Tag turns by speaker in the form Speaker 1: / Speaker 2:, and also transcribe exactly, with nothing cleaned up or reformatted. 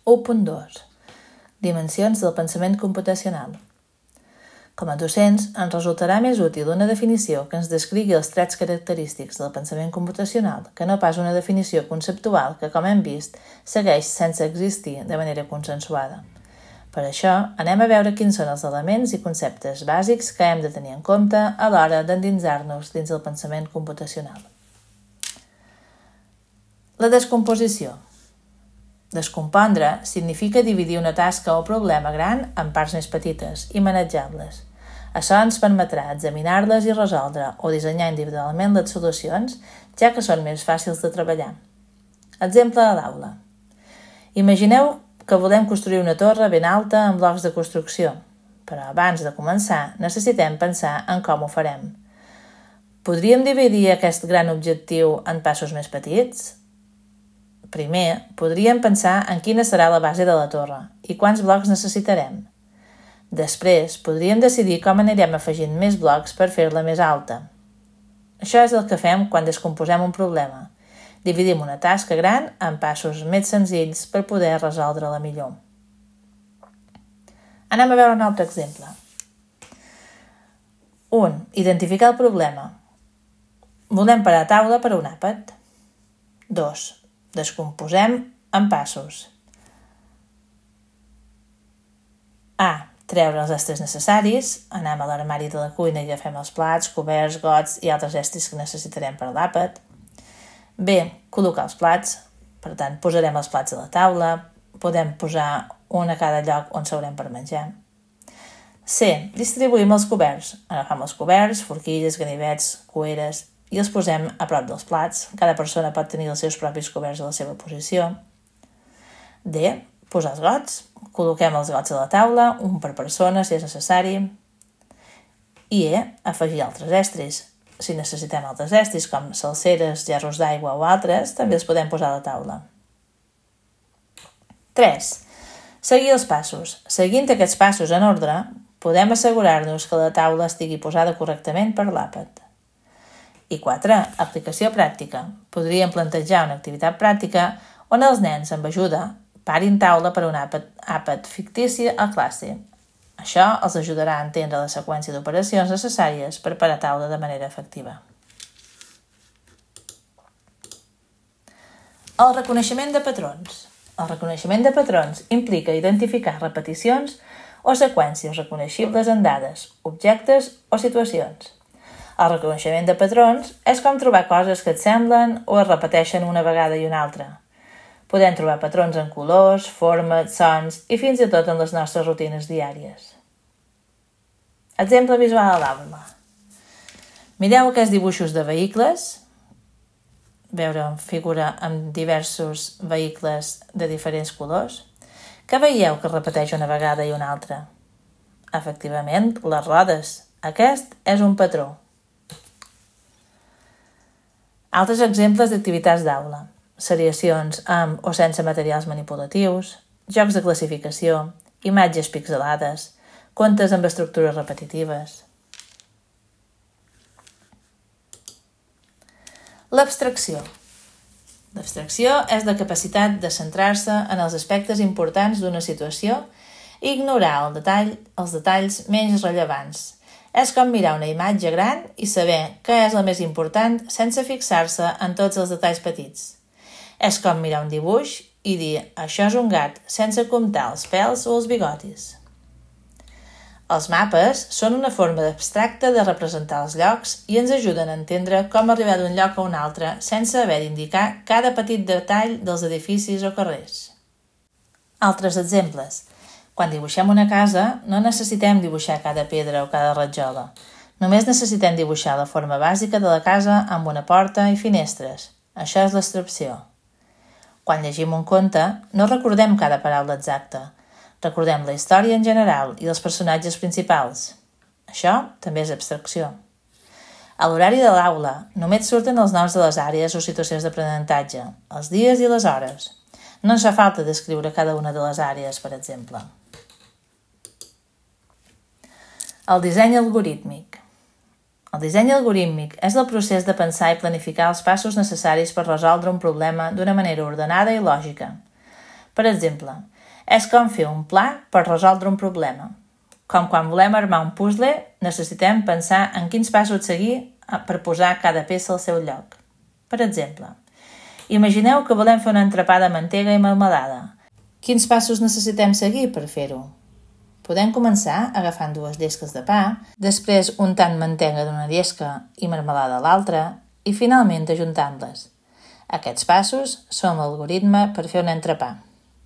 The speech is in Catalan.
Speaker 1: u punt dos. Dimensions del pensament computacional. Com a docents, ens resultarà més útil una definició que ens descrigui els trets característics del pensament computacional que no pas una definició conceptual que, com hem vist, segueix sense existir de manera consensuada. Per això, anem a veure quins són els elements i conceptes bàsics que hem de tenir en compte a l'hora d'endinsar-nos dins el pensament computacional. La descomposició. Descompondre significa dividir una tasca o problema gran en parts més petites i manejables. Això ens permetrà examinar-les i resoldre o dissenyar individualment les solucions, ja que són més fàcils de treballar. Exemple a l'aula. Imagineu que volem construir una torre ben alta amb blocs de construcció, però abans de començar necessitem pensar en com ho farem. Podríem dividir aquest gran objectiu en passos més petits? Primer, podríem pensar en quina serà la base de la torre i quants blocs necessitarem. Després, podríem decidir com anirem afegint més blocs per fer-la més alta. Això és el que fem quan descomposem un problema. Dividim una tasca gran en passos més senzills per poder resoldre-la millor. Anem a veure un altre exemple. un. Identificar el problema. Volem parar taula per a un àpat. dos. Descomposem en passos. A. Treure els estris necessaris. Anem a l'armari de la cuina i agafem els plats, coberts, gots i altres estris que necessitarem per a l'àpat. B. Col·locar els plats. Per tant, posarem els plats a la taula. Podem posar un a cada lloc on s'haurem per menjar. C. Distribuïm els coberts. Agafem els coberts, forquilles, ganivets, cueres i els posem a prop dels plats. Cada persona pot tenir els seus propis coberts a la seva posició. D. Posar els gots. Col·loquem els gots a la taula, un per persona si és necessari. I E. Afegir altres estris. Si necessitem altres estris, com salseres, gerros d'aigua o altres, també els podem posar a la taula. tres. Seguir els passos. Seguint aquests passos en ordre, podem assegurar-nos que la taula estigui posada correctament per l'àpat. I quatre. Aplicació pràctica. Podríem plantejar una activitat pràctica on els nens, amb ajuda, parin taula per a un àpat, àpat fictici a classe. Això els ajudarà a entendre la seqüència d'operacions necessàries per parar taula de manera efectiva. El reconeixement de patrons. El reconeixement de patrons implica identificar repeticions o seqüències reconeixibles en dades, objectes o situacions. El reconeixement de patrons és com trobar coses que et semblen o es repeteixen una vegada i una altra. Podem trobar patrons en colors, formes, sons i fins i tot en les nostres rutines diàries. Exemple visual a l'aula. Mireu aquests dibuixos de vehicles. Veure una figura amb diversos vehicles de diferents colors. Què veieu que es repeteix una vegada i una altra? Efectivament, les rodes. Aquest és un patró. Altres exemples d'activitats d'aula. Seriacions amb o sense materials manipulatius, jocs de classificació, imatges pixelades, contes amb estructures repetitives. L'abstracció. L'abstracció és la capacitat de centrar-se en els aspectes importants d'una situació i ignorar el detall, els detalls menys rellevants. És com mirar una imatge gran i saber què és el més important sense fixar-se en tots els detalls petits. És com mirar un dibuix i dir això és un gat sense comptar els pèls o els bigotis. Els mapes són una forma abstracta de representar els llocs i ens ajuden a entendre com arribar d'un lloc a un altre sense haver d'indicar cada petit detall dels edificis o carrers. Altres exemples. Quan dibuixem una casa, no necessitem dibuixar cada pedra o cada ratjola. Només necessitem dibuixar la forma bàsica de la casa amb una porta i finestres. Això és l'abstracció. Quan llegim un conte, no recordem cada paraula exacta. Recordem la història en general i els personatges principals. Això també és abstracció. A l'horari de l'aula, només surten els noms de les àrees o situacions d'aprenentatge, els dies i les hores. No ens fa falta descriure cada una de les àrees, per exemple. El disseny algorítmic. El disseny algorítmic és el procés de pensar i planificar els passos necessaris per resoldre un problema d'una manera ordenada i lògica. Per exemple, És com fer un pla per resoldre un problema. Com quan volem armar un puzzle, necessitem pensar en quins passos seguir per posar cada peça al seu lloc. Per exemple, imagineu que volem fer un entrepà de mantega i melmelada. Quins passos necessitem seguir per fer-ho? Podem començar agafant dues llesques de pa, després untant mantega d'una llesca i melmelada a l'altra i finalment ajuntant-les. Aquests passos són l'algoritme per fer un entrepà.